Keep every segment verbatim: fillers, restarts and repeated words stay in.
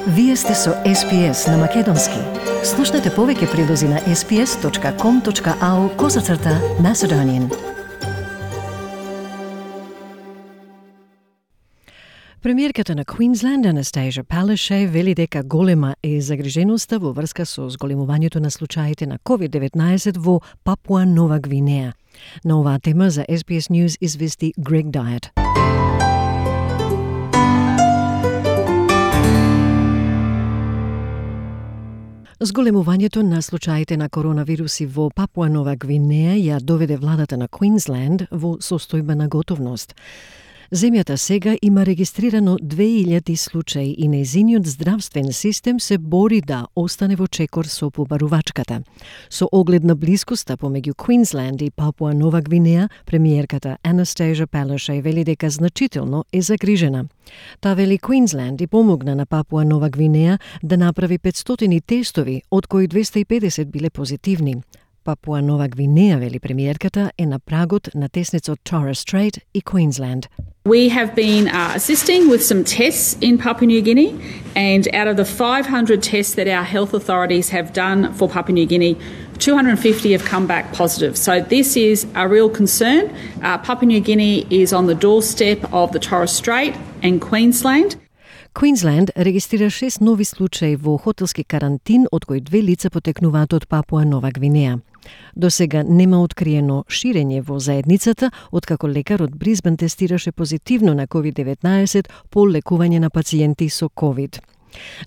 Вие сте со Ес Би Ес на Македонски. Слушнете повеќе прилози на ес би ес точка ком точка ау козацрта Macedonian. Премиерката на Queensland, Anastasia Palaszczuk, вели дека голема е загриженоста во врска со зголемувањето на случаите на ковид деветнаесет во Папуа Нова Гвинеја. На оваа тема за Ес Би Ес News извести Грег Дайет. Зголемувањето на случаите на коронавируси во Папуа Нова Гвинеја ја доведе владата на Queensland во состојба на готовност. Земјата сега има регистрирано две илјади случаи и нејзиниот здравствен систем се бори да остане во чекор со побарувачката. Со оглед на блискоста помеѓу Queensland и Папуа Нова Гвинеја, премиерката Anastasia Palaszczuk вели дека значително е загрижена. Та вели Queensland и помогна на Папуа Нова Гвинеја да направи петстотини тестови, од кои двеста и педесет биле позитивни. Папуа Нова Гвинеја, вели премиерката, е на прагот на тесницот Torres Strait и Queensland. We have been uh, assisting with some tests in Papua New Guinea, and out of the five hundred tests that our health authorities have done for Papua New Guinea, two hundred fifty have come back positive. So this is a real concern. Uh, Papua New Guinea is on the doorstep of the Torres Strait and Queensland. Queensland регистрира шест нови случаи во хотелски карантин, од кои две лица потекнуваат од Папуа Нова Гвинеја. До сега нема откриено ширење во заедницата, откако лекар од Бризбен тестираше позитивно на ковид деветнаесет по лекување на пациенти со ковид.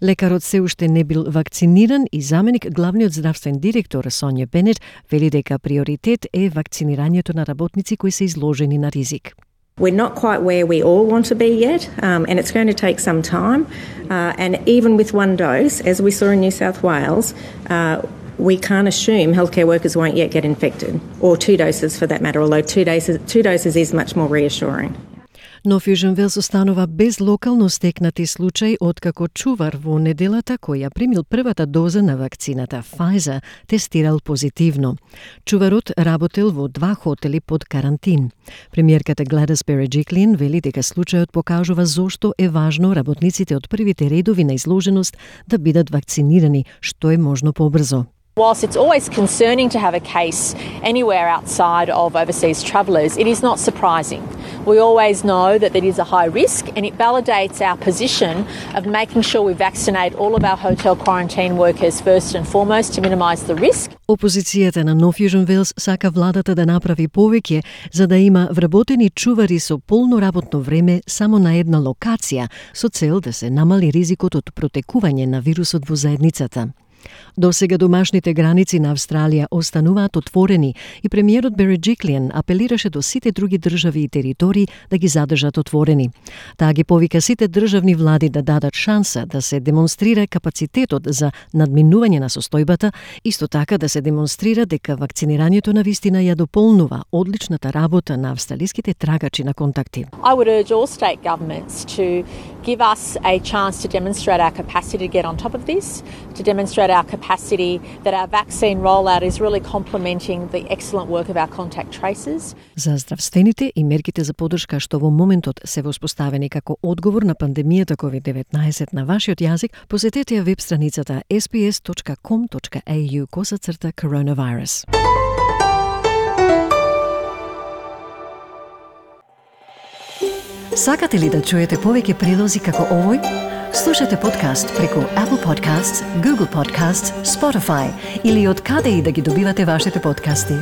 Лекарот се уште не бил вакциниран и заменик главниот здравствен директор Сонја Бенет вели дека приоритет е вакцинирањето на работници кои се изложени на ризик. We're not quite where we all want to be yet, um, and it's going to take some time. Uh, and even with one dose, as we saw in New South Wales, uh, we can't assume healthcare workers won't yet get infected, or two doses for that matter, although two doses, two doses is much more reassuring. Но Фјужен Велс останува без локално стекнати случаи откако чувар во неделата кој ја примил првата доза на вакцината Pfizer тестирал позитивно. Чуварот работел во два хотели под карантин. Премиерката Gladys Berejiklian вели дека случајот покажува зошто е важно работниците од првите редови на изложеност да бидат вакцинирани што е можно побрзо. Whilst it's always concerning to have a case anywhere outside of overseas travellers, it is not surprising. We always know that it is a high risk, and it validates our position of making sure we vaccinate all of our hotel quarantine workers first and foremost to minimise the risk. Опозицијата на Нов Јужен Велс сака владата да направи повеќе за да има вработени чувари со полно работно време само на една локација со цел да се намали ризикот од протекување на вирусот во заедницата. До сега домашните граници на Австралија остануваат отворени и премиерот Берejiklian апелираше до сите други држави и територии да ги задржат отворени. Таа ги повика сите државни влади да дадат шанса да се демонстрира капацитетот за надминување на состојбата, исто така да се демонстрира дека вакцинирањето на вистина ја дополнува одличната работа на австралиските трагачи на контакти. I would urge all state governments to give us a chance to demonstrate our capacity to get on top of this, to demonstrate our capacity that our vaccine rollout is really complementing the excellent work of our contact tracers. За здравствените и мерките за поддршка што во моментот се воспоставени како одговор на пандемијата ковид деветнаесет на вашиот јазик, посетете ја веб страницата ес би ес точка ком точка ей ю косацрта coronavirus. Сакате ли да чуете повеќе прилози како овој? Слушате подкаст преку Apple Podcasts, Google Podcasts, Spotify или од каде и да ги добивате вашите подкасти.